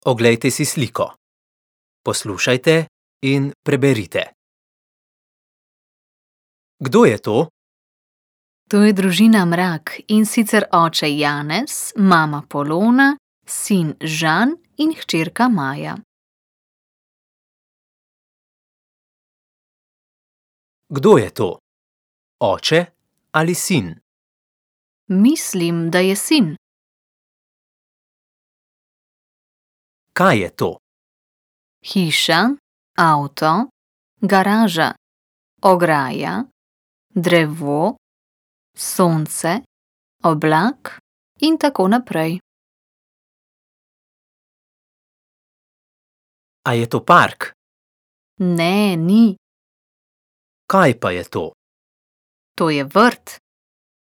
Oglejte si sliko. Poslušajte in preberite. Kdo je to? To je družina Mrak, in sicer oče Janez, mama Polona, sin Žan in hčerka Maja. Kdo je to? Oče ali sin? Mislim, da je sin. Kaj je to? Hiša, avto, garaža, ograja, drevo, sonce, oblak in tako naprej. A je to park? Ne, ni. Kaj pa je to? To je vrt.